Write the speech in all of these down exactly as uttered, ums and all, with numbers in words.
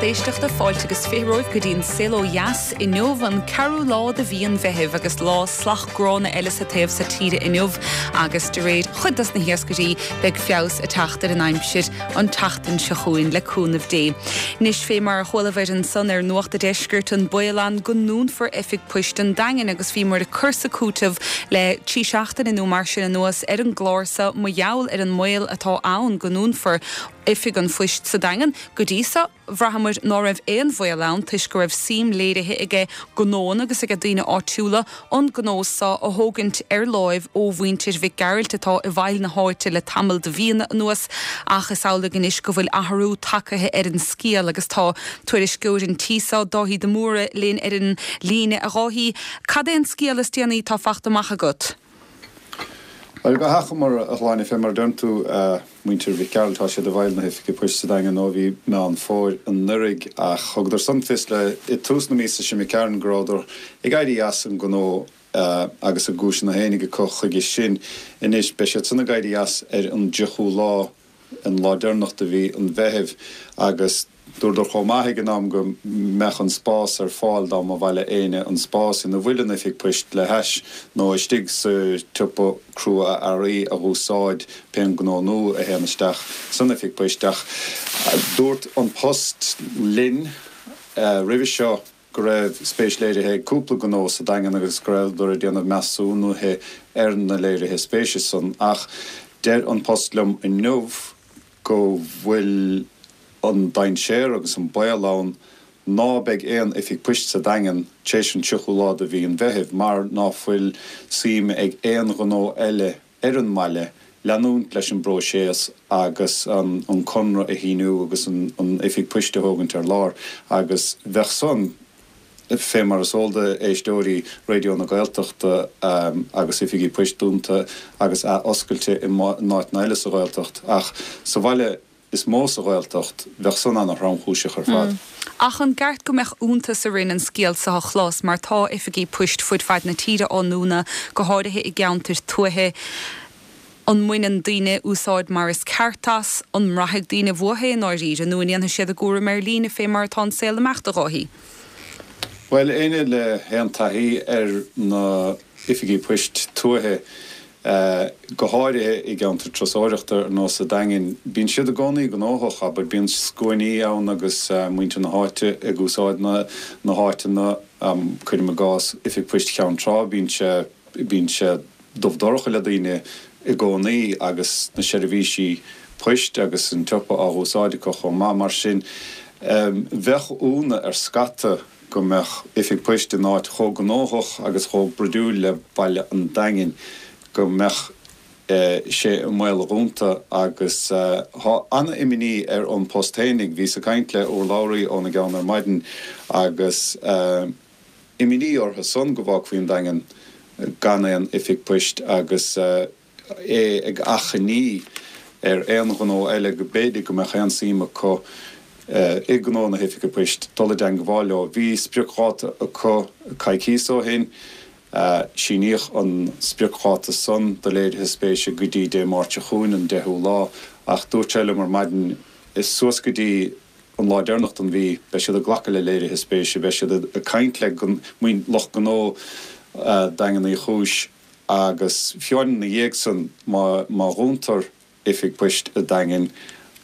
éisteachta fáilte agus fiche romhaibh go dtí an Saol Ó Dheas inniu an ceathrú lá de mhí an Mheithimh agus lá salach gránna eile sa taobh so tíre inniu agus de réir chuid dos na hiascairí beidh feabhas ag teacht ar an aimsir an tseachtain seo chugainn le cúnamh Dé. Anois fé mar a chualabhair ansan ar Nuacht an Deiscirt an baol ann go ndúnfar oifig poist an Daingin agus bhíomar ag cur is ag cúiteamh le trí seachtaine nó mar sin anuas ar an gclár so mar gheall ar an mbaol atá ann go ndúnfar oifig an phoist sa Daingean go dtí so bhraitheamar ná raibh aon bhaol ann toisc go raibh suim léirithe aige gnóanna agus aige daoine áitiúla an gnó so a thógaint ar láimh ó mhuintir Mhic Gearailt atá i bhfeighil na háite le tamall de mhíonna anuas ach is amhlaidh anois go bhfuil athrú tagtha ar an scéal agus tá tuairisceoir an tí so Dáithí de Mórdha linn ar an líne a Dháithí. Cad é an scéal is déanaí atá fachta amach agat? Bhuel, go hachomair a Shláine, fé mar a deireann tú, muintir Mhic Gearailt, tá siad i bhfeighil na hoifige poist sa Daingean ó bhí Meán Fómhair anuraidh ach thugadar san fios le i tús na míosa seo imigh tharainn go rabhadar ag éirí as an ngnó agus a gcúiseanna fhéinig acu chuige sin. Anois beidh siad san ag éirí as ar an dtríochú lá, an lá deireanach de mhí an Mheithimh agus Dúradar chomh maith ag an am go mbeadh an spás ar fáil dá mba mhaith le éinne an spás ina bhfuil an oifig poist le hais nó istigh sa tsiopa crua-earraí a dh'úsáid pén gnó nua a théann isteach san oifig poist ach dúirt An Post linn roimhe seo go raibh spéis léirithe ag cúpla gnó sa Daingean agus go rabhadar ag déanamh measúnuithe ar na léirithe spéise san ach deir An Post liom inniu go bhfuil an dainséar agus an baol ann ná beidh aon oifig poist sa Daingean tar éis an tríochú lá de mhí an Mheithimh mar ná fuil suim ag aon ghnó eile ar an mbaile leanúint leis an bpróiseas agus an conradh a shíniú agus an oifig poist a thógaint ar lár agus bheadh san fé mar is eol d'éisteoirí Raidió na Gaeltachta agus oifigí poist dúnta agus ath-oscailte in áiteanna eile sa Ghaeltacht ach sa bhaile is mó sa Ghaeltacht, bheadh san ana-thromchúiseach ar fad. Ach an gceart go mbeadh iontas orainn an scéal seo a chlos mar tá oifigí poist fud fad na tíre á ndúnadh, go háirithe i gceantair tuaithe. An mbaineann daoine úsáid mar is ceart as? An mbraithfidh daoine uathu é i ndáiríre nó an ndéanfaidh siad a gcúram ar líne fé mar atá an saol ag imeacht, a Dháithí? Bhuel, éinne le haon taithí ar na hoifigí poist tuaithe, go háirithe i gceantair turasóireachta ar nós an Daingin, bíonn siad i gcónaí gnóthach, abair, bíonn scuainí ann agus muintir na háite ag úsáid na na háiteanna, cuirim i gcás Oifig Poist Cheann Trá, bíonn sé, bíonn sé dubh dorcha le daoine i gcónaí agus na seirbhísí poist agus an tsiopa á dh'úsáid acu chomh maith. Mar sin, bheadh ionadh ar scata go mbeadh oifig poist in áit chomh gnóthach agus chomh bruidiúil le baile an Daingin, go mbeadh sé i mbaol a dhúnta agus tá an-imní ar An Post fhéinig. Bhíos ag caint le urlabhraí óna gceann ar maidin agus imní orthu san go bhfágfaí an Daingean gan aon oifig poist agus é ag achainí ar aon ghnó eile go b'fhéidir go mbeadh aon suim acu i ngnó na hoifige poist dul i dteangmháil leo. Bhí spriocdháta acu coicíos ó shin. Síníodh an spriocdháta san do léirithe spéise go dtí Dé Máirt seo chugainn, an deichiú lá, ach dúirt sé liom ar maidin, suas go dtí an lá deireanach den mhí, beidh siad ag glacadh le léirithe spéise, beidh siad ag caint le lucht gnó Daingean Uí Chúis agus fiú ina dhiaidh san, má dhúntar oifig poist a' Daingin,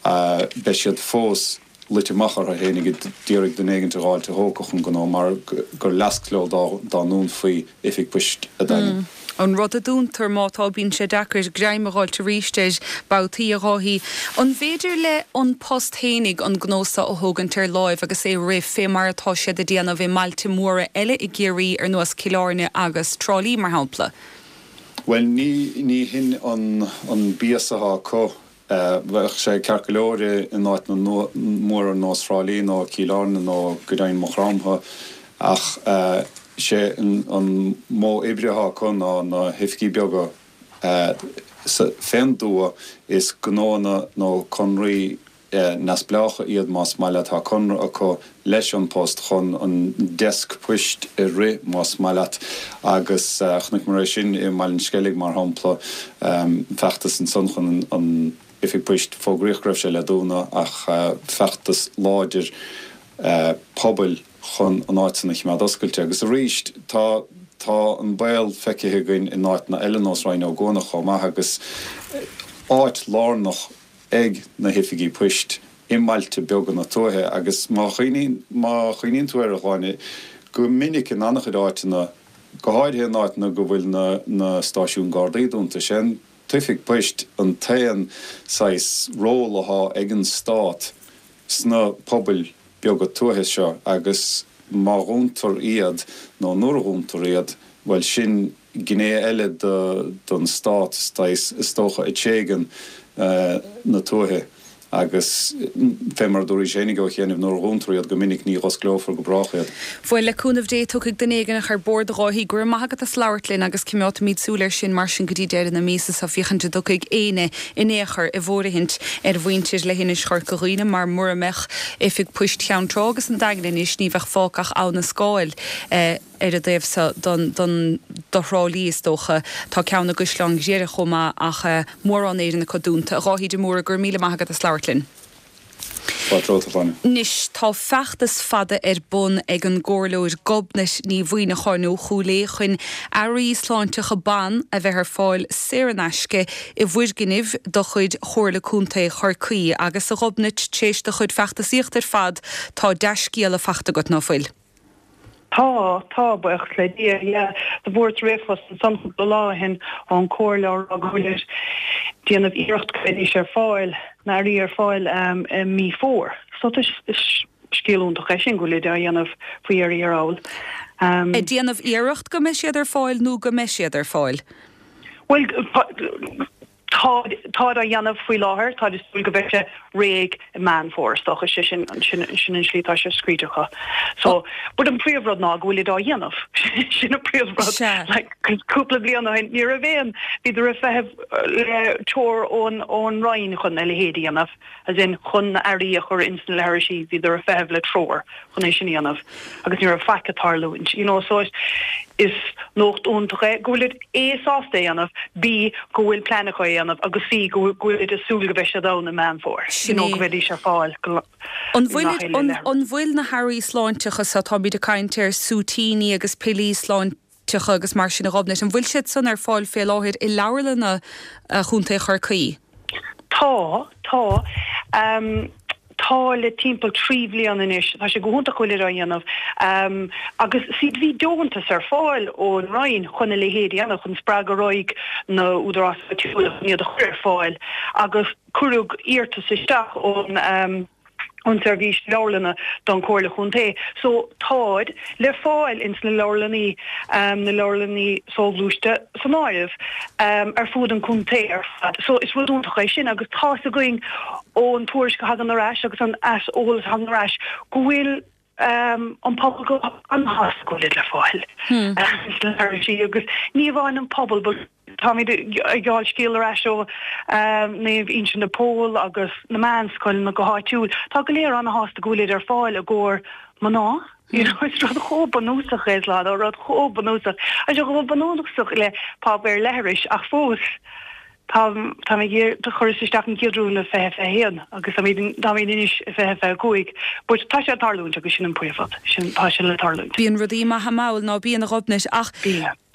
beidh siad fós luite amach orthu fhéinig ag iarraidh duine éigint a dh'fháilt a thógfadh an gnó mar gur leasc leo dá ndúnfaí oifig poist a' Daingin. An rud a dúntar, má tá, bíonn sé deacair greim a dh'fháilt arís air babhtaí, a Dháithí. An bhféidir le An Post fhéinig an gnó so a thógaint ar láimh agus é rith fé mar atá siad a déanamh i mbailte móra eile i gCiarraí ar nós Cill Airne agus Trá Lí, mar shampla? Bhuel, ní, ní hin an, an bias atá acu. Bheadh sé ceart go leor in áiteanna móra ar nós Thrá Lí nó Cill Airne nó go deimhin Maigh Chromtha ach sé an modh oibre atá acu ná na hoifigí beaga fén dtuath. Is gnóanna nó conraí neamhspleácha iad más maith leat. Tá conradh acu leis An Post chun an deasc poist a rith más maith leat agus chonaiceamar é sin i mBaile an Sceilg mar shampla, feachtas ansan chun an oifig poist, fógraíodh go raibh sé le dúnadh ach feachtas láidir pobail chun an áit san a choimeád oscailte. Agus arís, tá tá an baol feicthe againn in áiteanna eile ar nós Rinn Ó gCuanach chomh maith agus áit lárnach ag na hoifigí poist i mbailte beaga na tuaithe agus má chuimhníonn má chuimhníonn tú air a Shláine, go minic in an-chuid áiteanna, go háirithe in áiteanna go bhfuil na na stáisiúin Gardaí dúnta, sé an t-oifig poist an t-aon saghas ról atá ag an stát sna pobail beaga tuaithe seo agus má dhúntar iad nó nuair a dhúntar iad, bhuel sin gné eile don stát is dócha ag tréigean na tuaithe agus fé mar a dúraís fhéinig ó chianaibh nuair a dhúntar iad go minic ní dh'osclófar go brách iad. Bhuel, le cúnamh Dé tiocfaidh duine éigin ar bord a Dháithí. Go raibh maith agat as labhairt linn agus coimeádfaimid súil air sin mar sin go dtí deireadh na míosa seo féachaint an dtiocfaidh éinne in aon chor i bhfóirithint ar mhuintir leithinis Chorca Dhuibhne mar mura mbeadh Oifig Poist Cheann Trá agus an Daingean anois ní bheadh fágtha ach Abha na Scáil ar an dtaobh seo don don do Thrá Lí is dócha. Tá ceann i gCaisleán Ghriaire chomh maith ach mórán Éireann acu dúnta. A Dháithí de Mórdha, go raibh míle maith agat as labhairt linn. Anois tá feachtas fada ar bun ag an gComhairleoir Gobnait Ní Mhuimhneacháin ó Chúil Aodha chun earraí sláinteacha ban a bheith ar fáil saor in aisce i bhfoirgnimh de chuid Chomhairle Contae Chorcaí. Agus a Ghobnait, tar éis do chuid feachtasaíochta ar fad, tá dea-scéala faighte agat, ná fuil? Tá, tá, buíochas le Dia, yeah. Do fuaireas ríomhphost ansan cúpla lá ó shin ón Comhairle á rá go bhfuilid déanamh iarracht go mbeidís ar fáil, na earraí ar fáil um, i mí Fómhair. So is, is scéal iontach é sin go bhfuilid á dhéanamh faoi dheireadh thiar thall. Um, Ag déanamh iarracht go mbeidh siad ar fáil nó go mbeidh siad ar fáil? Well, tá tá á dhéanamh faoi láthair tá súil go mbeidh sé réidh i Meán Fómhair is dócha sé sin sin sin an slí tá sé scríte acu. So but an príomhrud ná go bhfuil á dhéanamh sin an príomhrud like cúpla bliain ó shin ní raibh aon bhíodar ag feitheamh le treoir ón ón Roinn chun a leithéid a dhéanamh as in chun na earraí a chur ins na leithrisí bhíodar ag feitheamh le treoir chun é sin a dhéanamh agus ní raibh faic ag tarlúint you know so is nuacht iontach é go bhfuil A sásta é a dhéanamh, B go bhfuil plean acu é a dhéanamh agus C go bhfuil ag súil go mbeidh siad ann i Meán Fómhair you know go mbeidís ar fáil go An bhfuil an bhfuil na hearraí sláinteacha so táimid ag caint ar súitíní agus piollaí sláinteacha agus mar sin a Ghobnait, an bhfuil siad san ar fáil fé láthair i leabharlanna Chontae Chorcaí? Tá, tá. Um, tá le timpeall trí bhliain anois, tá sé go hiontach go bhfuil á dhéanamh. Um, agus si bhí deontas ar fáil ón Roinn chun a leithéid a dhéanamh chun spreagadh ar aghaidh na húdaráis áitiúla chun iad a chur ar fáil agus cuireadh iarratas isteach ón um, an seirbhís leabharlanna don Chomhairle Chontae. So táid le fáil ins na leabharlanna um, na leabharlanna soghluaiste san áireamh um, ar fud an chontae ar fad. So is rud iontach é sin agus tá a fhios againn ón tuairisc a thagann ar ais agus an eolas a thagann ar ais go bhfuil um, an pobal go an-sásta go bhfuil le fáil. Hmm. Um, agus ní amháin an pobal táimid ag fáil scéal ar ais ó um, Naomh Uinseann de Pól agus na meánscoileanna go háitiúil. Tá go léir an-sásta go bhfuil ar fáil i gcomhair mná. You know, is rud chomh bunúsach é lá rud chomh bunúsach. A se go bunúsach le páipéar leithris ach fós. Tá tá do chuireas isteach an chéad uair fiche fiche haon agus tá anois fiche fiche cúig, but tá sé ag tarlúint agus sin an príomhrud sin tá sé le tarlúint. Bíonn rudaí maithe mall ná bíonn a Ghobnait ach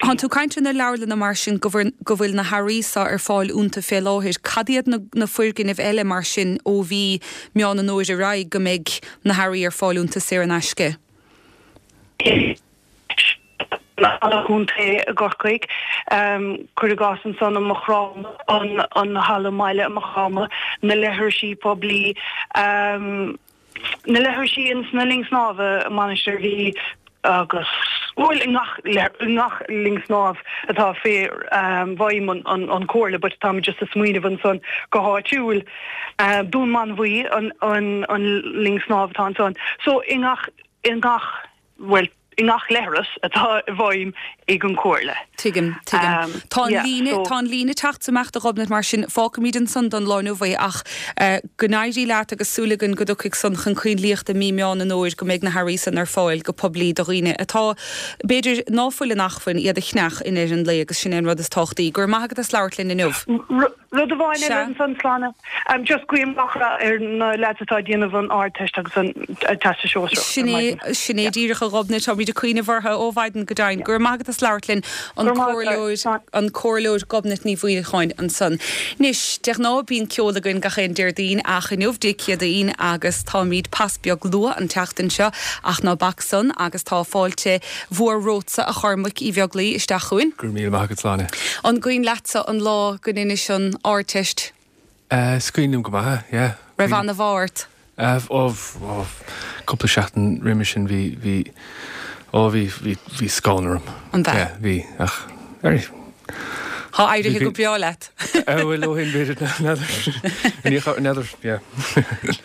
Tá tú ag caint ar na leabharlanna mar sin go go bhfuil na hearraí seo ar fáil iontu fé láthair. Cad iad na, na foirgnimh eile mar sin ó mhí Meán an Fhómhair ar aghaidh go mbeidh na hearraí ar fáil iontu saor in aisce. Halla Contae i gCorcaigh um, cuir i gcás ansan i Maigh Chromtha an, an halla baile i Maigh Chromtha, na leithrisí poiblí um, na leithrisí ins na linn snámha Mainistir Mhí agus bhfuil i ngach ngach linn snámh atá fé um, bhfeidhm an, an, an Chomhairle, but tá just ag smaoineamh ansan go háitiúil uh, Dún Mánmhaí an, an, an linn snámh atá ansan. So i ngach i ngach well i ngach leithreas atá i bhfeidhm ag an Chomhairle. Tuigim, tuigim. Tá an líne, tá an líne teacht amach do Ghobnait mar sin fágfaimid ansan don lá inniu é ach go n-éirí leat agus súil againn go dtiocfaidh san chun cainlíochta mí Meán an Fhómhair go mbeidh na hearraí san ar fáil go poiblí do dhaoine atá b'fhéidir ná fuil in acmhainn iad a cheannach in ar an lae agus sin é an rud is tábhachtaí. Go raibh maith agat as labhairt linn inniu. Rud amháin eile ansan Sláine. Just guím gach rath ar na lads atá ag déanamh an Ardteist agus an Teastas Sóisearach. Sin é, sin é díreach a Ghobnait, táimid ag cuimhneamh orthu ó mhaidin go deimhin. Go raibh maith agat as labhairt linn, an Comhairleoir, an Comhairleoir Gobnait Ní Mhuineacháin ansan. Anois, de ghnáth bíonn ceol againn gach aon Déardaoin ach inniu Dé Céadaoin agus táimid pas beag luath an tseachtain seo ach ná bac san agus tá fáilte mhór romhatsa a Chormaic Uí Bheaglaoi isteach chugainn. Go raibh míle maith agat Sláine. An cuimhin leatsa an lá go ndeinis an Ardteist? Is cuimhin liom go maith, yeah. Raibh ana-mheá ort? Ó, ó, cúpla seachtain roimhe sin bhí, bhí, ó bhí, bhí, bhí scanradh orm. An ea? Yeah, bhí, ach, ar, Tá éirithe go breá leat. Bhuel, ó shin b'fhéidir, n'fheadar, n'fheadar, yeah.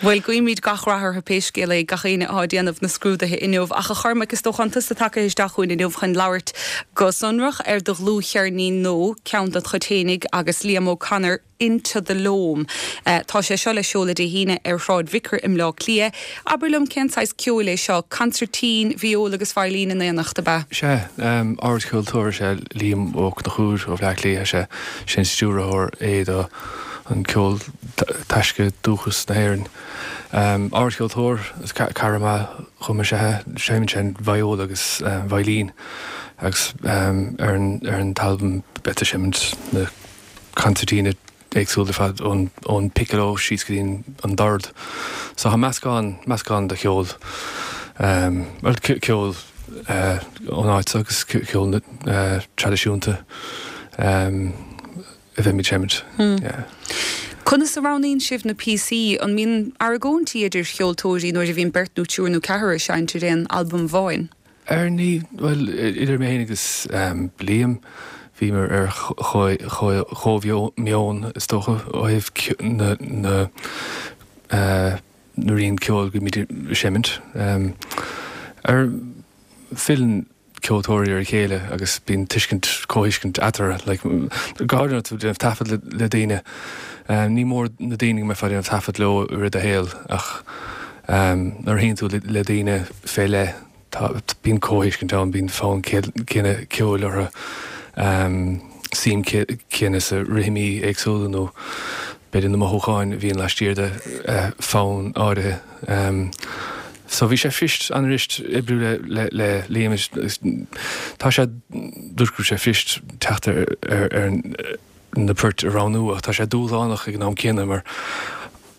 Bhuel, guímid gach rath orthu pé scéal é, gach éinne atá ag déanamh na scrúduithe inniu. Ach a Chormaic, is dócha an tusa tagtha isteach chugainn inniu chun labhairt go sonrach ar do dhlúthcheirnín nua, ceann dod chuid fhéinig agus Liam O'Connor, Into the Loam. Tá sé seo le seoladh Dé hAoine ar Shráid Vicar i mBleá Cliath. Abair liom cén saghas ceoil é seo? Consairtín, viól agus veidhlín in éineacht, ab ea? Sea, ardcheoltóir is ea Liam Ó Conchúir ó Bhleá Cliath, sé sin stiúrthóir é do an Ceol Taisce Dúchas na hÉireann. Ardcheoltóir is cara maith dhom is ea é, seinneann sé an viól agus veidhlín agus ar an t-albam beidh ag seimint na consairtíní éagsúil ar fad ón ón piccolo síos go dtí an dord. So tá meascán meascán de cheol bhuel ceol ón áit agus ceol traidisiúnta a bheimid seimint. Yeah. Conas a roghnaíonn sibh na píosaí? An mbíonn argóintí idir cheoltóirí nuair a bhíonn beirt nó triúr nó ceathrar ag seinnt ar aon albam amháin? Ar ní, bhuel, idir mé féin agus Liam, bhíomar ar chomh-mheon, is dócha, ó thaobh na na rian ceoil go mbímid ag seimint. Ar filleann ceoltóirí ar a chéile agus bíonn tuiscint, comhthuiscint eatarthu, like, go háirithe nuair atá tú ag déanamh taifead le daoine, ní mór na daoine go mbeifeá ag déanamh taifead leo i rith do shaoil ach nuair a shuíonn tú le daoine fé leith, Tá, bíonn comhthuiscint ann, bíonn fonn céanna ceoil orthu, suim céanna sa rithimí éagsúla nó b'fhéidir na mothúcháin a bhíonn laistiar de fonn áirithe. So bhí sé fuirist, an-fhuirist oibriú le le Liam agus tá sé, dúirt go raibh sé fuirist teacht ar ar na poirt a roghnú ach tá sé dúshlánach ag an am céanna mar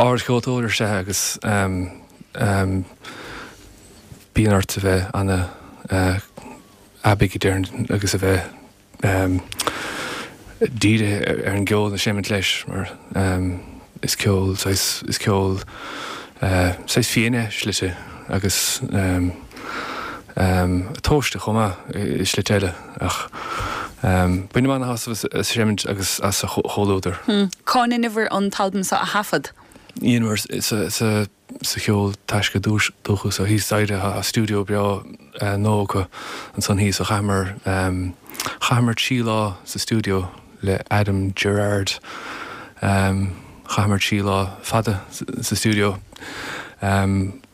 ardcheoltóir is ea é agus bíonn ort a bheith ana-aibí a déarfainn agus a bheith dírithe ar an gceol a seimint leis mar is ceol saghas, is ceol saghas fiáin é i slite agus tomhaiste chomh maith i slite eile ach bainim ana-shásamh as seimint agus as a chomhluadar. Cá ndeineabhair an t-albam seo a thaifead? Dheineamar sa sa cheol taisce dúchas ó thíos staighre tá stiúideo breá nua acu ansan thíos so chaitheamar chaitheamar trí lá sa stiúideo le Adam Gerard chaitheamar trí lá fada sa stiúideo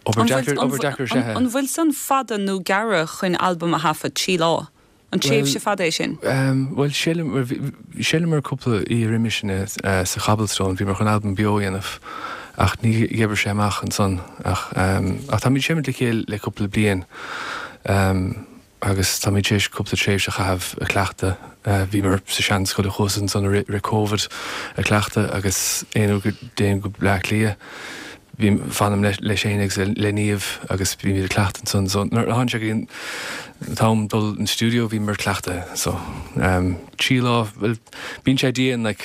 obair deacair obair deacair is ea é. An bhfuil san fada nó gearr chun albam a thaifead, trí lá? An tréimhse fada é sin? Bhuel, sheolamar cúpla oíche roimhe sin sa Cobblestone, bhíomar chun albam beo a dhéanamh ach ní dh'oibrigh sé amach ansan. Ach táimid ag seimint le chéile le cúpla bliain agus táimid tar éis cúpla tréimhse a chaitheamh ag cleachtadh. Bhíomar sa seanscoil thuas ansan i rith Covid ag cleachtadh agus aon uair go dtéim go Bleá Cliath, Bím, fanaim le Shane agus le Niamh agus bímid ag cleachtadh ansan so nuair a tháinig sé go dtí an t-am dul an stiúideo bhíomar ag cleachtadh so trí lá, bhuel bíonn sé dian like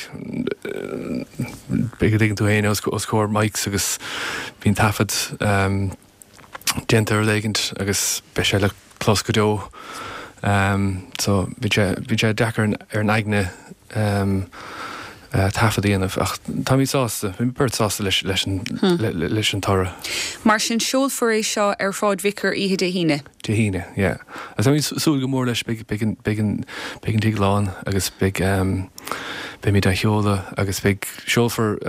b'fhéidir go dtuigeann tú féin os os comhair mics agus bíonn taifead déanta ar rud éigint agus beidh sé le clos go deo so bíonn sé bíonn sé deacair ar an aigne taifead a dhéanamh ach táimid sásta, bhí beirt sásta leis leis an leis an toradh. Mar sin seolfar é seo ar Shráid Vicar oíche Dé hAoine? Dé hAoine, yeah. Agus táimid súil go mór leis, beidh beidh an beidh an beidh an tigh lán agus beidh beimid á sheoladh agus beidh seolfar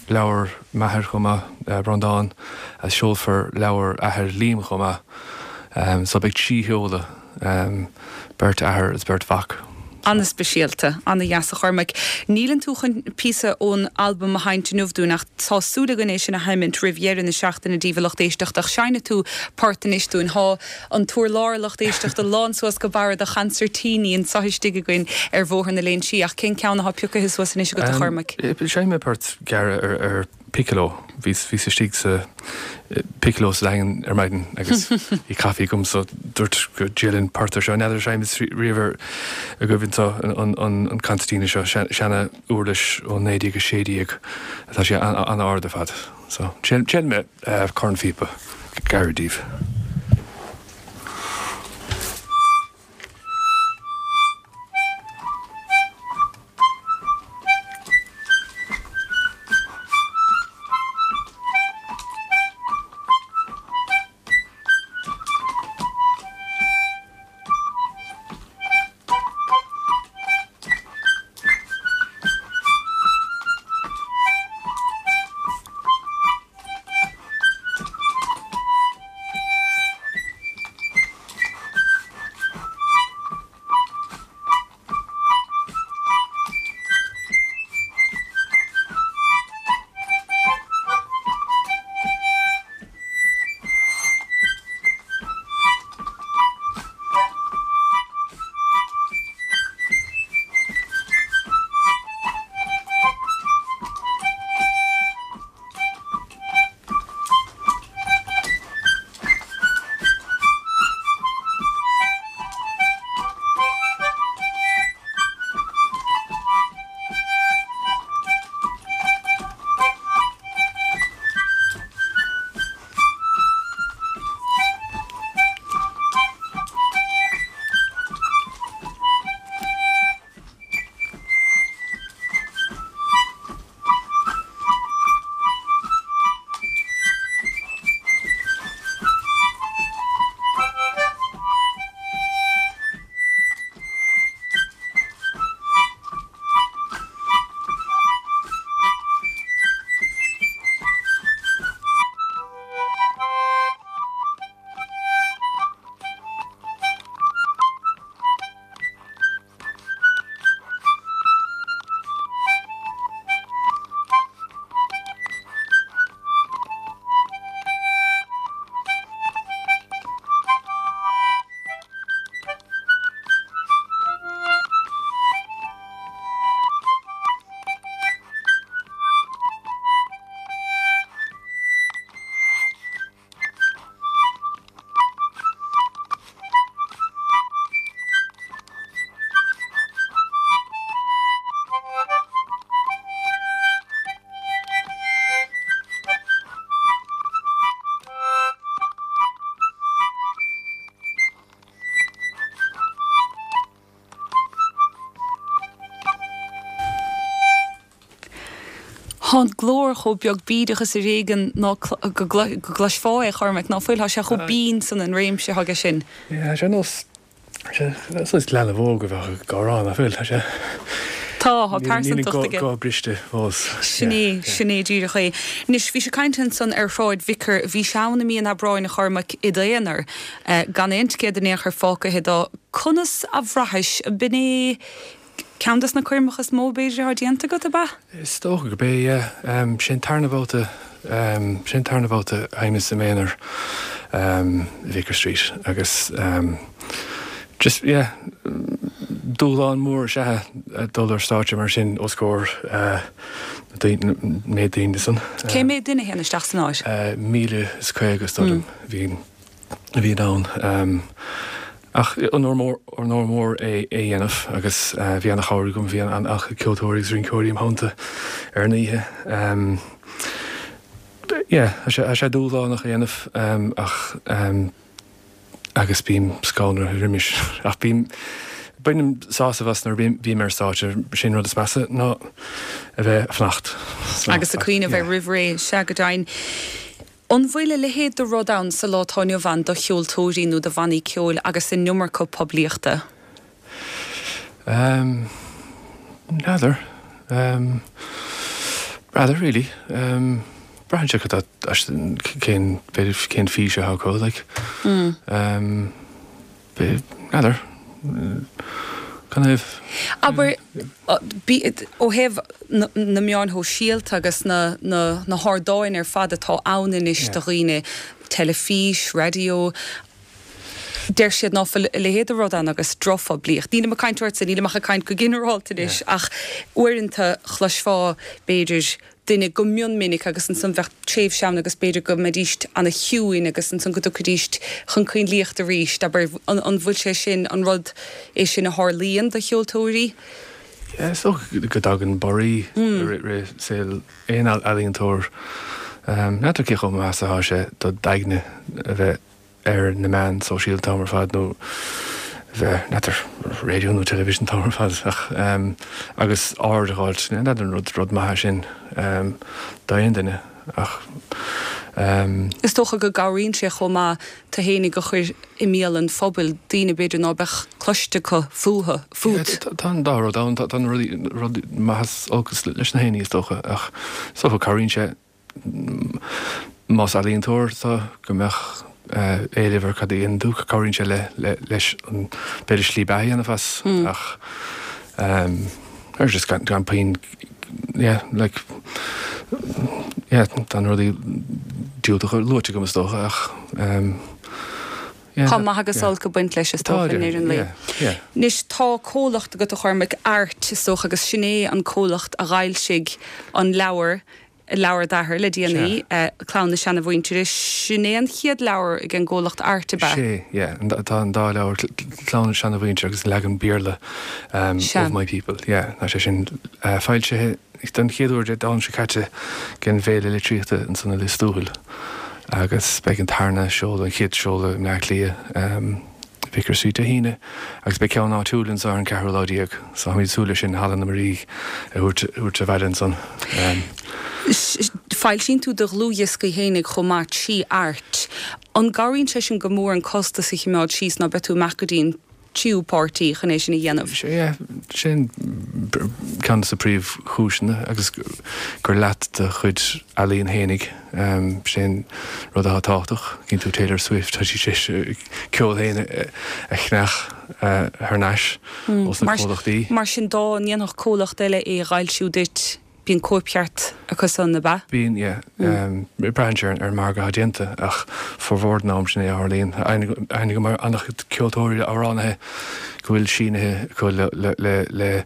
leabhar m'athar chomh maith, Breandán, agus seolfar leabhar athair Liam chomh maith. So beidh trí sheoladh, beirt athair is beirt mhac. An-speisialta, an-dheas a Chormaic. Níleann tú chun píosa ón albam a sheinnt inniu dúinn ach tá súil againn é sin a sheimint roimh dheireadh na seachtaine daoibh a lucht éisteachta ach seinnfidh tú port anois dúinn. Tá an t-urlár lucht éisteachta lán suas go barra de chansairtíní anseo istigh againn ar Bhóthar na Léinsí ach cén ceann atá pioctha suas anois agat a Chormaic? Seinnfidh mé port gearr ar ar piccolo. Bhíos bhíos istigh sa piccolo sa Daingean ar maidin agus bhí caife agam so dúirt go dtriailfinn port ar seo. N'fheadar ar seinneadh riamh ar agaibh anseo an an an concertina seo, seana uirlis ó naoi déag a sé déag. Tá sé an-ard ar fad. So triailfidh mé cornphíopa gairid daoibh. Tá an glór chomh beag bídeach is ar éigean ná go gcloisfeá é, a Chormaic, ná fuil? Tá sé chomh binn san an réimse aige sin. Yeah, sé nós sé leanbh óg a bheadh ag amhrán, ná fuil? Tá sé Tá, tá pearsantacht aige. Níl an guth briste fós. Sin é, sin é díreach é. Anois, bhís ag caint ansan ar Shráid Vicar, bhís ann i mí an Aibreáin, a Chormaic, i d'aonar, gan aon ticéad in aon chor fágtha do. Conas a bhraithis? B'in é ceann des na coirmeacha is mó b'fhéidir atá déanta agat, ab ea? Is dócha gurb é, yeah. Sé an tarna babhta, sé an tarna babhta a sheinneas i m'aonar i Vicar Street agus just, yeah, dúshlán mór is ea é dul ar stáitse mar sin os comhair na méid daoine san. Cé mhéad duine a théann isteach san áit? Míle is caoga is dóigh liom a bhí a bhí ann. Ach onóir mór, onóir mór é é a dhéanamh agus bhí ana-chabhair agam, bhí an-chuid ceoltóirí agus rinceoirí im theannta ar an oíche. Yeah, tá sé, tá sé dúshlánach a dhéanamh ach agus bím scanraithe roimis ach bím, Bainim sásamh as nuair a bhím ar stáitse, sin rud is measa ná a bheith ag fanacht. Agus ag cuimhneamh air roimh ré, sea go deimhin. An bhfuil a leithéid de rud ann sa lá atá inniu ann do cheoltóirí nó do bhannaí ceoil agus an iomarca poiblíochta? Um, N'fheadar. Um, Rather, really. Um, Braitheann sé cad cén cén fís atá acu, like. Mm. Um, N'fheadar. Kind of. Abair ó thaobh na meáin shóisialta agus na, na, na hardáin ar fad atá ann anois do dhaoine, teilifís, raidió, deir siad ná fuil a leithéid de rud ann agus drochphoiblíocht. Nílim ag caint ortsa, nílim ach ag caint go ginearálta anois, ach uaireanta chloisfeá b'fhéidir duine go mion minic agus ansan bheadh tréimhse ann agus b'fhéidir go mbeidíst ana chiúin agus ansan go dtiocfaidíst chun coinlíocht arís, abair an an bhfuil sé sin an rud é sin a tharlaíonn do cheoltóirí? Yeah, is dócha go dtagann borraí i rith saol aon ealaíontóir. N'fheadar cé chomh maith is atá sé do d'aigne a bheith ar na meáin sóisialta an t-am ar fad nó bheith, n'fheadar, raidió nó television an t-am ar fad ach agus aird a fháilt, n'fheadar an rud rud maith é sin d'aon duine ach. Is dócha go gcabhraíonn sé chomh maith tú fhéinig a chur i mbéal an phobail, daoine b'fhéidir ná beadh cloiste acu fúthu, fút. Tá an dá rud ann, tá an rud maith is olc leis na héinní is dócha ach is dócha cabhraíonn sé Más ealaíontóir tú, go mbeadh éileamh ar cad a dhéanann tú, cabhraíonn sé leis an, b'fhéidir slí beatha a dhéanamh as ach or just gan puinn, yeah, like, yeah, tá na rudaí diúltacha luaite agam is dócha ach yeah. Tá maith agus olc ag baint leis is dócha i ndeireadh an lae. Anois tá comhlacht agat a Chormaic, Art is dócha agus sin é an comhlacht a dh'fhoilsigh an leabhar leabhar d'athar le déanaí, Clann na Seanamhuintire. Sin é an chéad leabhar ag an gcomhlacht Art, ab ea? Sé, yeah. Tá an dá leabhar, Clann na Seanamhuintire agus an leagan Béarla Of My People, yeah. Tá sé sin foilsithe don chéad uair Dé Domhnaigh seo caite ag an bhFéile Litríochta ansan i Lios Tuathail agus beidh an tarna seoladh, an chéad seoladh i mBleá Cliath. Vicar Street Dé hAoine agus beidh ceann áitiúil anseo ar an ceathrú lá déag so táimid ag súil leis sin Halla na Muirí a thabhairt abhaile ansan. Foilsíonn tú do dhlúthdhioscaí fhéinig chomh maith trí Art. An gcabhraíonn sé sin go mór an costas a chimeád síos ná beidh tú ag imeacht go dtí an tríú páirtí chun é sin a dhéanamh? Sea, sin ceann de na príomhchúiseanna agus gur leat do chuid ealaíon fhéinig, sin rud atá tábhachtach. Cíonn tú Taylor Swift, tá sí tar éis a ceol féin a cheannach thar n-ais ós na comhlachtaí. Mar sin dá ndéanfadh comhlacht eile é a fhoilsiú duit, Bíonn cóipcheart acu san, ab ea? Bíonn, yeah. Braitheann sé ar an margadh atá déanta ach formhór den am sin é a tharlaíonn. Aithne agam ar an-chuid ceoltóirí, amhránaithe go bhfuil sínithe acu le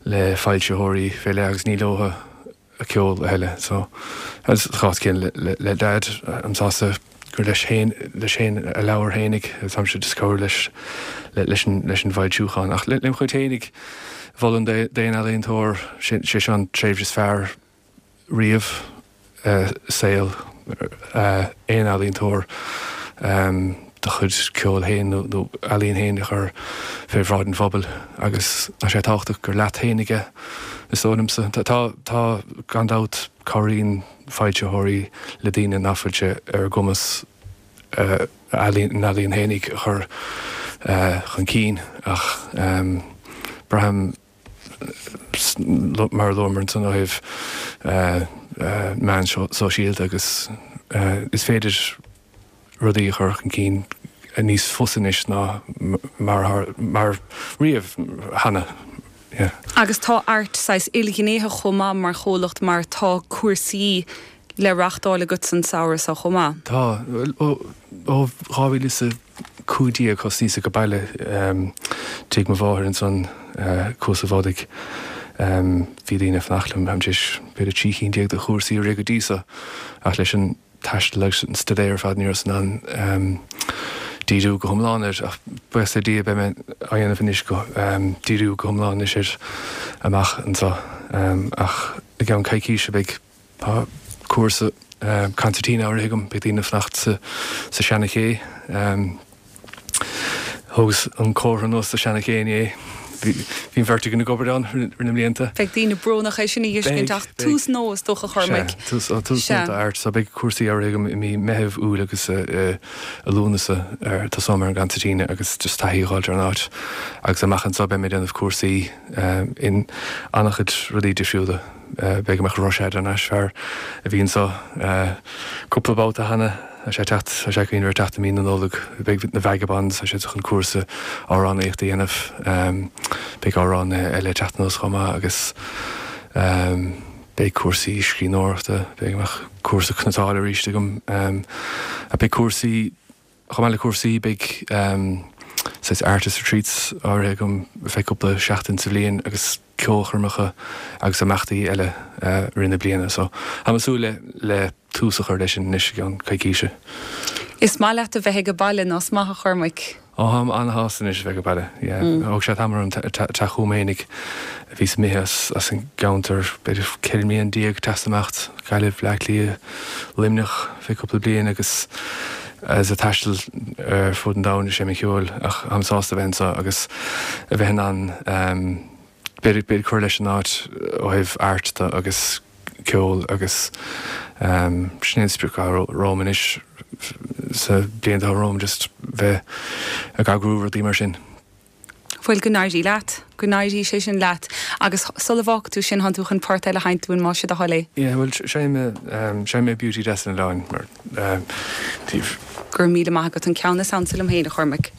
le foilsitheoirí fé leith agus ní leo a ceol a thuilleadh. So, sa chás céanna le Daid, táim sásta gur leis féin leis féin a leabhar fhéinig agus táimse just ag cabhrú leis leis an leis an bhfoilsiúchán. Ach lem chuid fhéinig, mholfainn d'aon ealaíontóir, sé seo an tréimhse is fearr riamh i saol aon ealaíontóir do chuid ceoil féin nó ealaíon féin a chur fé bhráid an phobail agus tá sé tábhachtach gur leat féinig é, is dóigh liomsa. Tá, tá, gan dabht, cabhraíonn foilsitheoirí le daoine nach bhfuil sé ar a gcumas a n-ealaíon fhéinig a chur chun cinn ach braithim, mar a luamar ansan ó thaobh meán sóisialta agus is féidir rudaí a chur chun cinn níos fusa anois ná mar riamh cheana. Yeah. Agus tá Art saghas ilghnéitheach chomh maith mar chomhlacht mar tá cúrsaí le reachtáil agat san samhradh seo chomh maith. Tá. Ó dhá mhíle is a cúig déag thosnaíos ag baile tigh mo mháthair ansan Cuas an Bhodaigh. Bhí daoine ag fanacht liom, táim tar éis b'fhéidir trí chinn déag de chúrsaí a rith go dtí so ach leis an taisteal agus an staidéar ar fad ní rabhas in ann díriú go hiomlán air ach buíochas le Dia beidh mé á dhéanamh anois go díriú go hiomlán anois air amach anseo ach i gceann coicíse beidh tá cúrsa concertina á rith agam beidh daoine ag fanacht sa sa Seana-Ché Thógas an comhartha anuas sa Seanachéin é. Bhí an bheirt againn ag obair ann thar na mblianta. Beidh daoine brónach é sin a fheiscint ach tús nua is dócha a Chormaic. Tús nua d'Art. So beidh cúrsaí áirithe agam i mí Meitheamh, Iúil agus i Lúnasa ar tosóidh mé ar an gconsairtín agus just taithí a fháilt ar an áit. Agus amach anseo beidh mé ag déanamh cúrsaí in an-chuid rudaí difriúla. Beidh go mbeadh Rushad thar n-ais, fear a bhí anseo cúpla babhta cheana, tá sé ag teacht, tá sé ag cuimhneamh ar teacht i mí na Nollag. Beidh na Vagabonds, tá siad chun cúrsa amhránaíochta a dhéanamh. Beidh amhránaithe eile ag teacht anuas chomh maith agus beidh cúrsaí scríbhneoireachta, beidh go mbeadh cúrsa cniotála arís agam. Beidh cúrsaí, chomh maith le cúrsaí, beidh saghas artist retreats áirithe agam ar feadh cúpla seachtain sa bhliain agus ceolchoirmeacha agus imeachtaí eile i rith na bliana. So, táim ag súil le le tús a chur leis sin anois i gceann coicíse. Is maith leat a bheith ag baile, nach maith a Chormaic? Ó, táim an-shásta anois a bheith ag baile, yeah. Thóg sé tamall orm teacht chugam fhéinig. Bhíos imithe as an gceantar b'fhéidir ceithre mbliana déag, ag imeacht, Gaillimh, Bleá Cliath, Luimneach, feadh cúpla bliain agus agus ag taisteal ar fud an domhain ag seinm ceoil ach táim sásta a bheith anseo agus a bheith in ann b'fhéidir b'fhéidir cur leis an áit ó thaobh art de agus ceol agus sin é an sprioc atá romham anois sa bliain atá romham just bheith ag eagrú rudaí mar sin. Bhuel, go n-éirí leat. Go n-éirí sé sin leat. Agus sula bhfágfaidh tú sinn, tánn tú chun port eile a sheinnt dúinn, más é do thoil é. Yeah, bhuel, seinnfidh mé, seinnfidh mé Beauty Deas an Oileáin mar daoibh. Go raibh míle maith agat, an ceann is ansa liom féin, a Chormaic.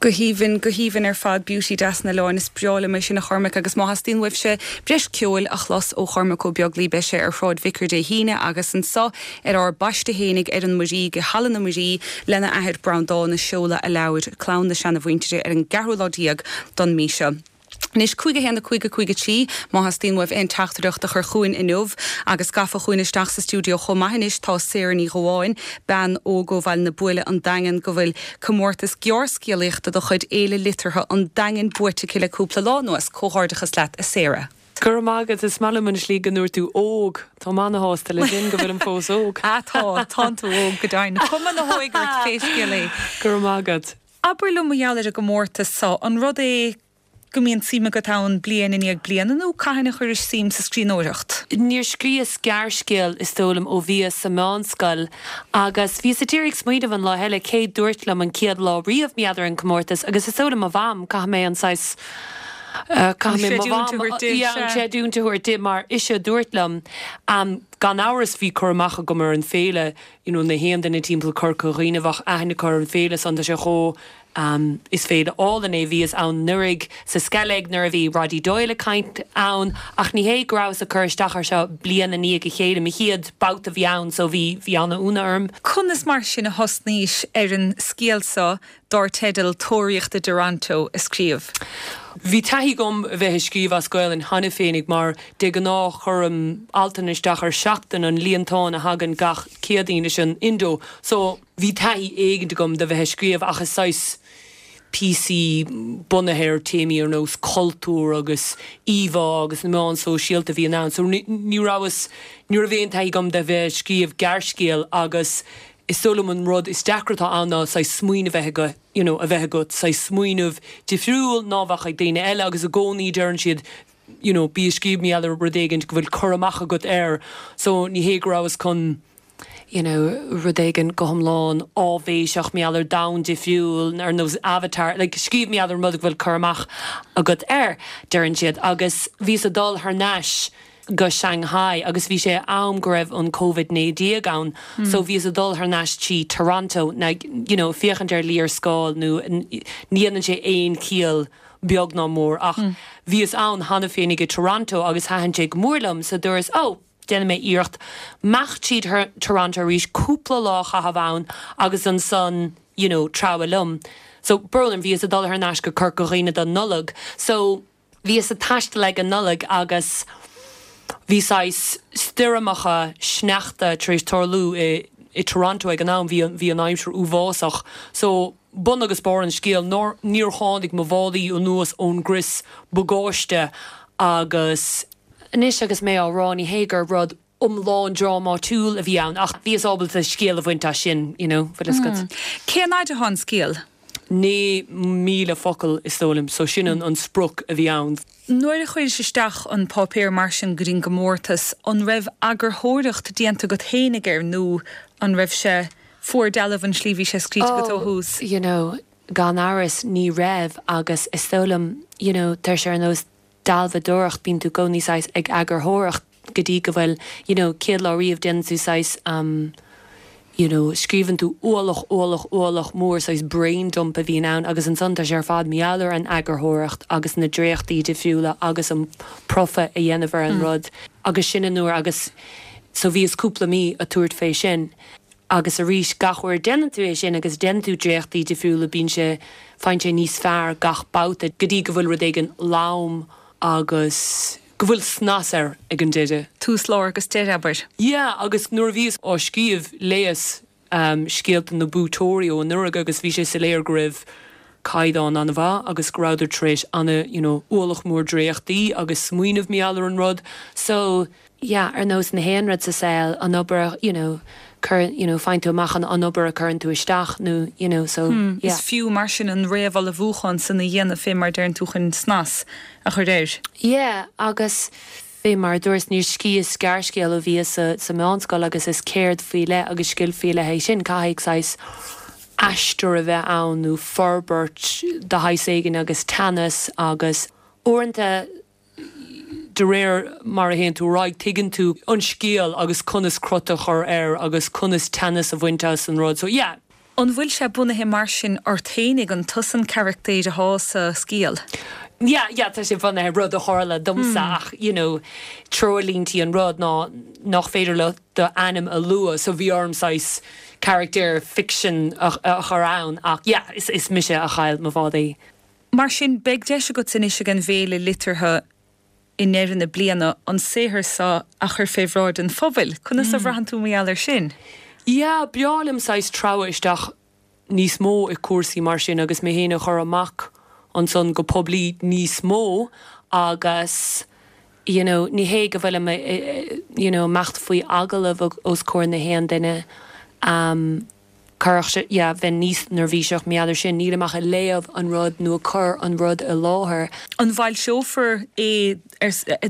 Go haoibhinn, go haoibhinn ar fad Beauty deas na Oileáin is breá liom é sin a Chormaic agus má theastaíonn uaibhse breis ceoil a chlos ó Chormac Ó Beaglaoi beidh sé ar Shráid Vicar Dé hAoine agus anseo ar ár bpaiste fhéinig ar an Muirí go Halla na Muirí lena athair Breandán ag seoladh a leabhair Clann na Seanamhuintire ar an gceathrú lá déag don mí seo. Anois cúig a haon a cúig a cúig a trí má theastaíonn uaibh aon teachtaireacht a chur chugainn inniu agus gafa chugainn isteach sa stiúideo chomh maith anois tá Sarah Ní Ghabháin, bean óg ó Bhaile na Buaile an Daingean go bhfuil comórtas gearrscéalaíochta de chuid Fhéile Liteartha an Daingin buaite aici le cúpla lá anuas. Comhghairdeachas leat a Sarah. Go raibh maith agat is maith liom an slí go ndúirt tú óg Tá mé ana-shásta le sin go bhfuilim fós óg. Á tá tá tú óg go deimhin. Cuma na hóige ort pé scéal é. Go raibh maith agat. Abair liom mar gheall ar an gcomórtas seo an rud é go mbíonn suim agat ann bliain i ndiaidh bliana nó cathain a chuiris suim sa scríbhneoireacht. Níor scríos gearrscéal is dóigh liom ó bhíos sa meánscoil agus bhíos ag iarraidh smaoineamh an lá eile cé dúirt liom an chéad lá riamh mar gheall ar an comórtas agus is dóigh liom mo mham caithfidh mé an saghas caithfidh mé mo mham an creidiúint a thabhairt di mar ise a dúirt liom um, gan amhras bhí cur amach agam ar an féile you know, na haon duine timpeall Corca Dhuibhne bheadh aithne acu ar an féile san tá sé chomh Um, is féile álainn é bhíos ann anuraidh sa Sceilg nuair a bhí Roddy Doyle ag caint ann ach ní hé go rabhas ag cur isteach ar seo bliain i ndiaidh a chéile mo chéad babhta a bhí ann so bhí bhí an-ionadh orm. Conas mar sin a thosnaís ar an scéal seo dar teideal Tóraíocht i dToronto a scríobh. Bhí taithí agam a bheith ag scríobh as Gaelainn cheana féinig mar de ghnáth cuirim altanna isteach ar Seachtain an líontán a thagann gach Céadaoin leis an Indo, so bhí taithí éigin agam de bheith ag scríobh ach is saghas píosaí bunaithe ar téamaí ar nós cultúr agus íomhá agus na meáin sóisialta a bhí ann, so ní rabhas ní raibh aon taithí agam de bheith ag scríobh gearrscéal agus is dóigh liom an rud is deacra atá ann ná saghas smaoineamh a bheith agat you know a bheith agat saghas smaoineamh difriúil ná bheadh ag daoine eile agus i gcónaí deireann siad you know bí ag scríobh mar gheall ar rud éigin go bhfuil cur amach agat air so ní hé go rabhas chun you know, rud éigin go hiomlán áibhéiseach mar gheall ar domhan difriúil ar nós Avatar, like, scríobh mar gheall ar rud go bhfuil cur amach agat air, deireann siad, agus bhíos ag dul thar n-ais go Shanghai agus bhí sé am go raibh an Covid naoi déag ann mm. so bhíos ag dul thar n-ais trí Toronto na you know, féachaint ar léarscáil nó ní dhéanann sé aon chiall beag ná mór ach mm. bhíos ann cheana féinig i Toronto agus thaitin sé go mór liom so dúras oh déanfaidh mé iarracht imeacht tríd Toronto arís cúpla lá a chaitheamh ann agus ansan you know, treabhadh liom. So brón orm bhíos ag dul thar n-ais go Corca Dhuibhne don Nollaig. So bhíos ag taisteal ag an Nollaig agus bhí saghas stoirmeacha sneachta tar éis tarlú i, i Toronto ag an am bhí bhí an aimsir uafásach. So bun agus barr an scéil nár níor tháinig mo mhálaí anuas ón gcrios bagáiste agus Anois agus mé á rá ní hé gur rud iomlán drámatúil a bhí ann ach bhíos ábalta scéal a bhaint as sin, you know, bhfuil fhios agat. Cén fhad atá an scéal? Naoi míle focal is dóigh liom, so sin an an sprioc a bhí ann. Nuair a chuiris isteach an páipéar mar sin go dtí an gcomórtas, an raibh eagarthóireacht déanta agat fhéinig air nó an raibh sé fuar dealbh an slí bhí sé scríte agat ó thús? You know, gan amhras ní raibh agus is dóigh liom, you know, tá sé ar nós dealbhádóireacht bíonn tú i gcónaí saghas ag eagarthóireacht go dtí go bhfuil you know céad lá riamh déanann tú saghas um you know scríobhann tú ualach ualach ualach mór saghas brain dump a bhíonn ann agus ansan tá sé ar fad mar gheall ar an eagarthóireacht agus na dréachtaí difriúla agus an profa a dhéanamh ar an rud agus sin an uair agus so bhíos cúpla mí ag tabhairt fé sin. Agus arís, gach uair a déanann tú é sin agus déanann tú dréachtaí difriúla bíonn sé, faigheann sé níos fearr gach babhta go dtí go bhfuil rud éigin lom agus go bhfuil snas air ag an deireadh. Tús, lár agus deireadh, abair. Yeah, agus nuair a bhíos á scríobh léas scéalta na buaiteoirí ó anuraidh agus bhí sé soiléir go raibh caighdeán an-mhaith agus go rabhadar tar éis ana, you know, ualach mór dréachtaí agus smaoineamh mar gheall ar an rud. So, yeah, ar nós na haon rud sa saol, an obair, you know, cur, you know, faigheann tú amach an an obair a cuireann tú isteach nó, you know, so, Hmm, yeah. Is fiú mar sin an réamhullmhúchán san a dhéanamh fé mar deireann tú chun snas a chur air. Yeah, agus fé mar a dúras níor scríos gearrscéal ó bhíos sa, sa meánscoil agus is ceird faoi leith agus scil faoi leith é sin, caithfidh saghas aistear a bheith ann nó forbairt de shaghas éigin agus teannas agus uaireanta de réir mar a théann tú ar aghaidh tuigeann tú an scéal agus conas crot a chur air agus conas teannas a bhaint as an rud. So yeah. An bhfuil sé bunaithe mar sin ort féinig an tusa an carachtar atá sa scéal? Yeah, yeah, tá sé bunaithe rud a tharla domsa mm. ach you know, treoirlínte an rud ná nach féidir le do ainm a lua so bhí orm saghas character fiction a, a chur ann ach yeah, is, is mise a chaill mo bhádaí. Mar sin beidh deis agat anois ag an bhféile liteartha i ndeireadh na bliana an saothar seo a chur fé bhráid an phobail, Conas a mm. bhraitheann tú mar gheall air sin? Yeah, b'fhearr liom saghas treabhadh isteach níos mó i cúrsaí mar sin agus mé féin a chur amach ansan go poiblí níos mó agus you know, ní hé go bhfuil you know, imeacht faoi agallamh os comhair na haon duine um, chuirfeadh yeah, bheinn níos neirbhíseach mar gheall air sin níl amach ag léamh an rud nó cur an rud i láthair. An bhfoilseofar é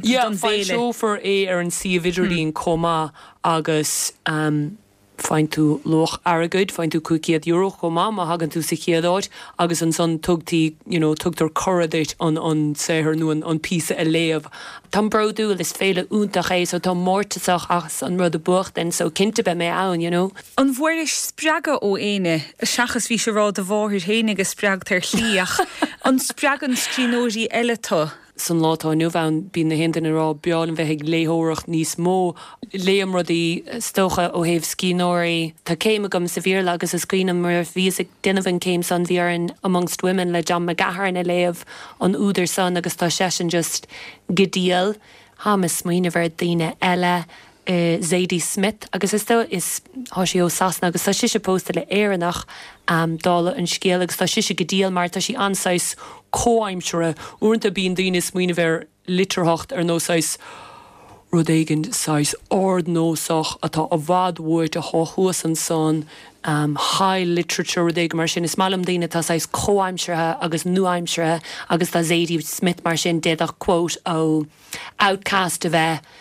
yeah, foilseofar é ar an suíomh idirlín hmm. chomh maith agus um, faigheann tú luach airgid, faigheann tú cúig chéad euro chomh maith má thagann tú sa chéad áit agus ansan tugtaí you know, tugtar cuireadh duit an an saothar nó an, an píosa a léamh. Tá bródúil is féile iontach é so tá mórtasach as an rud a bhuachtain so cinnte beidh mé ann, you know. An bhfuairis spreagadh ó éinne seachas bhí sé rá do mháthair féin agus spreagtar slíach an spreagann scríbhneoirí eile tú? san lá atá inniu ann bíonn na haon duine rá b'fhearr liom bheith ag léitheoireacht níos mó léim rudaí is dócha ó thaobh scríbhneoirí Tá céim agam sa Bhéarla agus is cuimhin mar bhíos ag déanamh an céim san bhí an Amongst Women le John McGahern a léamh an údar san agus tá seisean just go diail Tá mé ag smaoineamh ar daoine eile uh, Zadie Smith agus is dó is tá sí ó Sasana agus tá sise pósta le Éireannach um, dála an scéil agus tá sise go diail mar tá sí an-saghas comhaimseartha uaireanta bíonn daoine smaoineamh ar litearthacht ar nós saghas rud éigin saghas ardnósach atá i bhfad uait atá thuas ansan um, high literature rud éigin mar sin is maith liom daoine tá saghas comhaimseartha agus nua-aimseartha agus tá Zadie Smith mar sin d'fhéadfadh quote ó Outcast a bheith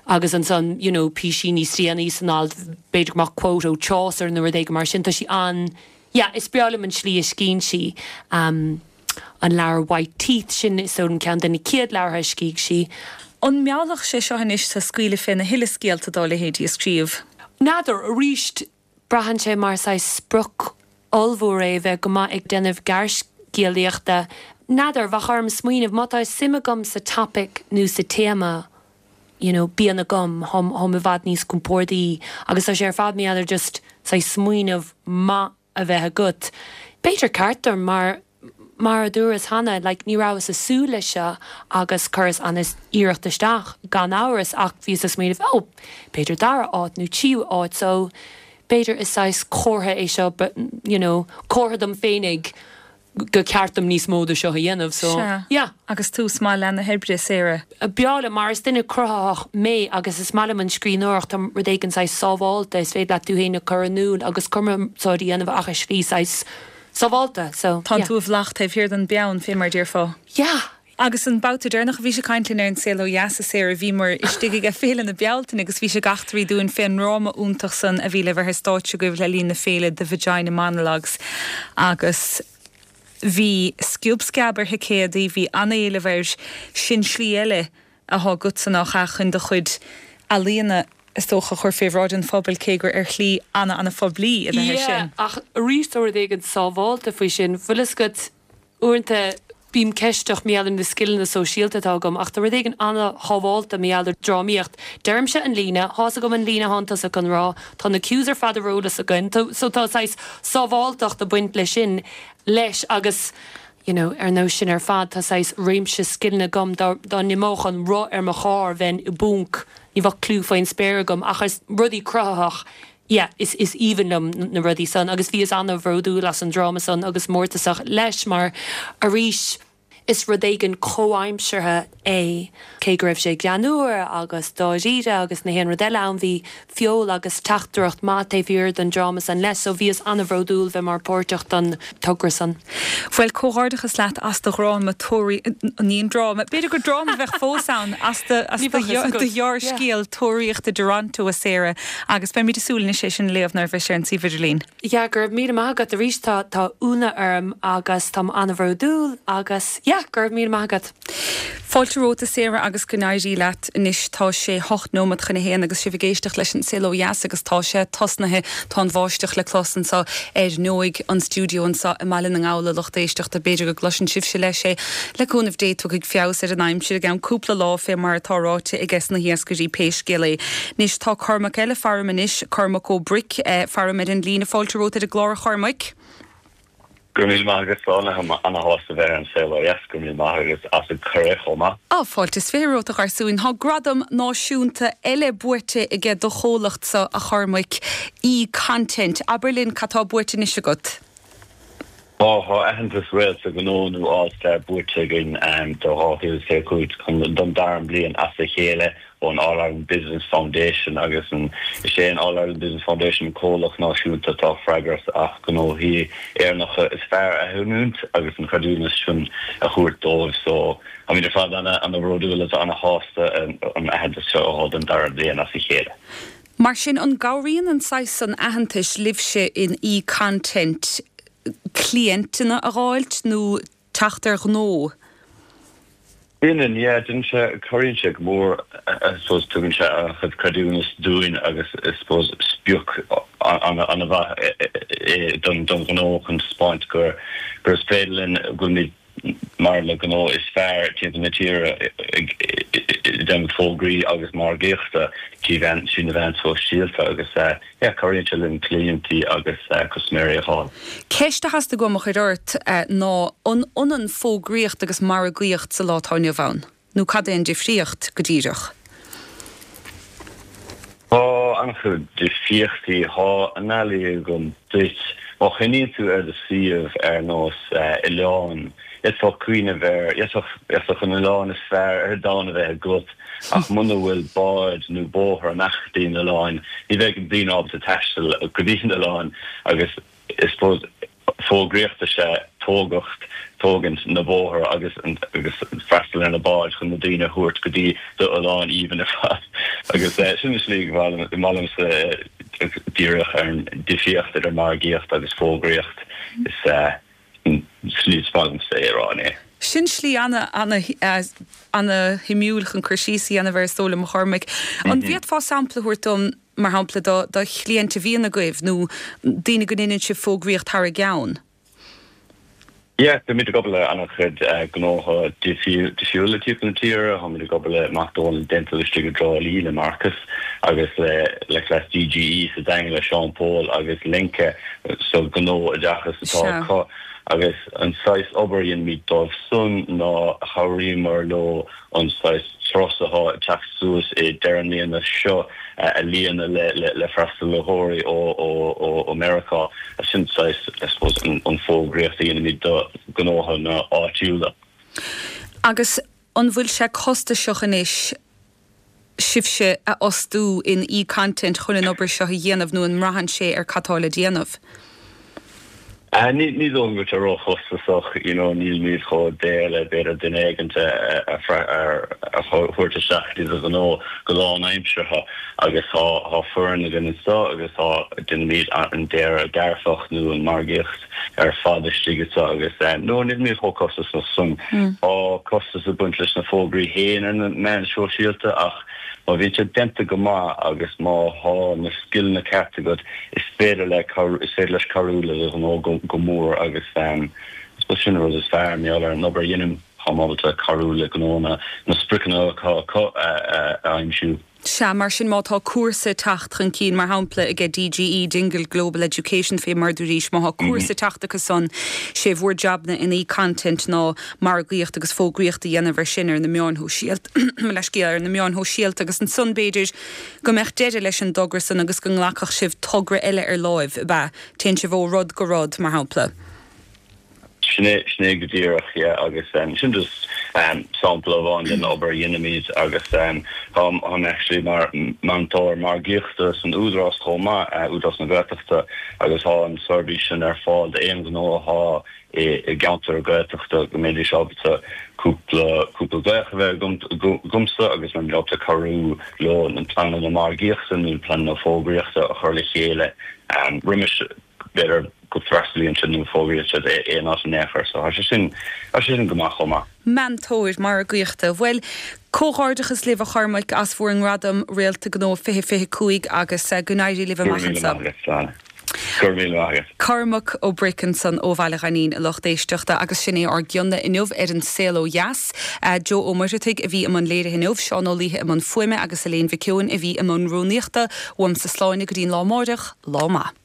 agus ansan you know, píosa níos déanaí san alt b'fhéidir mar quote ó Chaucer nó rud éigin mar sin tá sí an yeah, is breá liom an slí a scríobhann sí um, an leabhar White Teeth sin is an ceann de na chéad leabhartha a scríobh sí. An meallfadh sé seo anois tá scaoileadh féna thuilleadh scéalta dá leithéidí a scríobh. N'fheadar arís braitheann sé mar saghas sprioc ollmhór é bheith go maith ag déanamh gearrscéalaíochta. N'fheadar bheadh orm smaoineamh má tá suim agam sa topic nó sa téama you know, bíonn agam táim i bhfad níos compordaí agus tá sé ar fad mé just saghas smaoineamh maith a bheith agat. B'fhéidir ceart mar mar a dúras cheana like, ní rabhas ag súil leis seo agus chuireas an-iarracht isteach gan amhras ach bhíos ag smaoineamh ó b'fhéidir dara áit nó tríú áit so b'fhéidir is saghas comhartha é seo but you know comhartha dom féinig gur ceart dom níos mó de seo a dhéanamh so yeah agus tús maith le na hoibre Sarah. B'fhearr mar is duine cruthaitheach mé agus is maith liom an scríbhneoireacht tá rud éigin saghas sábháilte is féidir leat tú féin a chur in iúl agus cumarsáid a dhéanamh ach is slí saghas sábháilte so Tá tú i bhflach taobh thiar den bpeann fé mar a déarfá. Yeah. Agus an babhta deireanach a bhí sé ag caint linn ar an saol ó dheas a Sarah bhí muid istigh ag Féile na Bealtaine agus bhí sé ag eachtraí dúinn fén ndráma iontach san a bhí le bheith ar stáitse agaibh le linn na féile The Vagina Monologues agus bhí sciob sceab ar thicéadaí bhí an-éileamh air sin slí eile atá agat san á chun do chuid ealaíona is dócha chur fé bhráid an phobail cé gur ar shlí ana ana phoiblí a bheith sin. ach arís rud éigin sábháilte faoi sin bhfuil fhios agat uaireanta bím ceisteach mar gheall ar na scileanna sóisialta atá agam ach tá rud éigin an-shábháilte mar gheall ar drámaíocht. Deirimse an líne tá agam an líne atá tusa chun rá tá na cues ar fad ar eolas againn so tá saghas sábháilteacht ag baint leis sin leis agus you know, ar nós sin ar fad tá saghas réimse scileanna agam dá n-imeodh an roth ar mo charr bheinn i bponc ní bheadh clue faoin spéir agam ach is rudaí cruthaitheach yeah, is is aoibhinn liom na rudaí san agus bhíos an-bhródúil as an dráma san agus mórtasach leis mar arís is rud éigin comhaimseartha é cé go raibh sé greannmhar agus dáiríre agus na haon rud eile ann bhí feol agus teachtaireacht maith taobh thiar den dráma san leis so bhíos an-bhródúil bheith mar páirteach den togra san. Bhuel comhghairdeachas leat as do dhráma tóí ní an dráma B'fhéidir gur dráma bheith fós ann as do ghearrscéal Tóraíocht i dToronto a Sarah agus beimid ag súil sé sin léamh nuair a bheidh sé ar an suíomh idirlín. Ja gur míle maith agat arís tá tá ionadh orm agus tá an-bhródúil agus yeah. Yeah, go raibh míle maith agat. Fáilte romhat a Sarah agus go n-éirí leat anois tá sé hocht nóiméad chun a haon agus sibh ag éisteacht leis an Saol Ó Dheas agus tá sé tosnaithe tá an bháisteach le clos anseo ar ndóigh an stiúideo anseo i mBaile na nGall a lucht éisteachta b'fhéidir go gcloiseann sibhse leis é le cúnamh Dé tiocfaidh feabhas ar an aimsir i gceann cúpla lá fé mar atá ráite aige sna hiascairí pé scéal é. Anois tá Cormac eile faram anois Cormac Ó Bric eh, faram ar an líne fáilte romhat ar an gclár a Chormaic. Go míle maith agus an-shásta bheith ar an Saol Ó Dheas go míle maith agus as an cuireadh chomh maith. Á fáilte is fiche romhat a gharsúin Tá gradam náisiúnta eile buaite aige do chomhlachtsa a Chormaic e-content. Abair linn cad tá buaite anois agat. Tá tá aitheantas Réalta Gnó nó All Star buaite againn do dhá mhíle is fiche cúig chun don dara bliain as a chéile ón All Ireland Business Foundation agus an is é an All Ireland Business Foundation comhlacht náisiúnta atá freagrach as gnóthaí Éireannacha is fearr a aithint agus an creidiúnas sin a thabhairt dóibh so táimid ar fad ana ana bhródúil agus ana shásta an aitheantas seo a fháil don dara bliain as a chéile. Mar sin an gcabhraíonn an saghas san aitheantais libhse in e-content cliantanna a fháilt nó teacht ar ghnó? Bíonn yeah, déanann sé cabhraíonn sé go mór I suppose tugann sé an-chuid creidiúnas dúinn agus I suppose sprioc an-mhaith don don ghnó chun taispeáint gur gur is féidir linn go bhfuilimid mar na gnó is fearr timpeall na tíre ag déanamh fógraí agus margaíochta trí mheán trí na meáin sóisialta agus yeah, cabhraíonn sé linn cliantaí agus custaiméirí a fháil. Ceist a theastaigh uaim a chur ort ná an ionann fógraíocht agus margaíocht sa lá atá inniu ann, nó cad é an difríocht go díreach? Tá an-chuid difríochtaí tá analaí agam duit má chuimhníonn tú ar do suíomh ar nós oileán D'fhéadfá cuimhneamh ar d'fhéadfadh an oileán is fearr ar domhan a bheith agat ach muna bhfuil bád nó bóthar amach go dtí an oileán ní bheidh daoine ábalta taisteal go dtí an oileán agus I suppose fógraíocht is ea tógacht tógaint na bóthar agus agus freastal ar na báid chun na daoine a thabhairt go dtí do oileán aoibhinn ar fad agus sin an slí go bhfuilimse díreach ar an difríocht idir margaíocht agus fógraíocht is slí is maith liomsa é a rá é. Sin slí ana ana ana shuimiúil chun cur síos a dhéanamh air is dóigh liom a Chormaic. An bhféadfá sampla a thabhairt dom mar shampla do do chliaint a bhíonn agaibh nó daoine go ndéanann sibh fógraíocht thar a gceann? Yeah, bímid ag obair le an-chuid gnótha difriúla timpeall na tíre, táimid ag obair le McDonald Dental istigh i dTrá Lí le Marcus agus le le Class DGE sa Daingean le Sean Paul agus Lenka so gnó oideachas atá acu agus an saghas obair a dhéanaimid dóibh san ná chabhraíomar leo an saghas turas atá ag teacht suas i deireadh na bliana seo a líonadh le le le freastalaitheoirí ó ó ó ó Meiriceá sin saghas I suppose an an fógraíocht a dhéanaimid do gnótha áitiúla. Agus an bhfuil sé costasach anois sibhse a fhostú in e-content chun an obair seo a dhéanamh nó an mbraitheann sé ar cad tá le déanamh? Ní ní dóigh go bhfuil sé róchostasach, you know, nílimid chomh daor le b'fhéidir duine éigin a a thabhairt isteach go dtí do ghnó go lánaimseartha agus tá tá foireann againn anseo agus tá déanaimid an dearadh grafach nó an margaíocht ar fad istigh anseo agus no nílimid chomh costasach san. Tá costas ag baint leis na fógraí féin ar na meáin shóisialta ach má bhíonn sé déanta go maith agus má tá na scileanna ceart agat is féidir le is féidir leis cabhrú le do ghnó go go mór agus I suppose sin an rud is fearr mar gheall ar an obair a dhéanaim táim ábalta cabhrú le gnónna na spriocanna atá acu a aimsiú. Sea, mar sin má tá cúrsa ag teacht chun cinn, mar shampla aige DGE, Dingle Global Education, fé mar dúraís, má tá cúrsa ag teacht acu san, sé bhur jabna in e-content ná margaíocht agus fógraíocht a dhéanamh ar sin ar na meáin shóisialta, mo leithscéal, ar na meáin shóisialta agus ansan b'fhéidir go mbeadh deireadh leis an dtogra san agus go nglacfadh sibh togra eile ar láimh, ab ea? Téann sibh ó rud go rud, mar shampla. Sin é, sin é go díreach, yeah, agus sin just sampla amháin den obair a dhéanaimid agus táim, táim actually mar meantóir margaíochta san Údarás chomh maith, Údarás na Gaeltachta, agus tá an seirbhís sin ar fáil d'aon ghnó atá i gceantar Gaeltachta go mbeidís ábalta cúpla, cúpla glaoch a bheith agamsa agus mbeimid ábalta cabhrú leo na pleananna margaíochta nó pleananna fógraíochta a chur le chéile roimis. b'fhéidir go bhfreastalaíonn siad nó fógraíonn siad aon áit in aon chor so tá sé sin tá sé sin go maith chomh maith. Meantóir margaíochta. Bhuel, comhghairdeachas libh a Chormaic as bhur ngradam Réalta Gnó fiche fiche cúig agus go n-éirí libh amach anseo. Go raibh míle maith agat. Cormac Ó Bric ansan ó Bhaile Ghainín, a lucht éisteachta, agus sin é ár gcionn inniu ar An Saol Ó Dheas. Joe Ó Muircheartaigh a bhí i mbun léirithe inniu, Seán Ó Laoithe i mbun fuaime agus Elaine Mhic Eoin a bhí i mbun rúnaíochta. Uaimse Sláine go dtí'n lá amáireach, lá maith.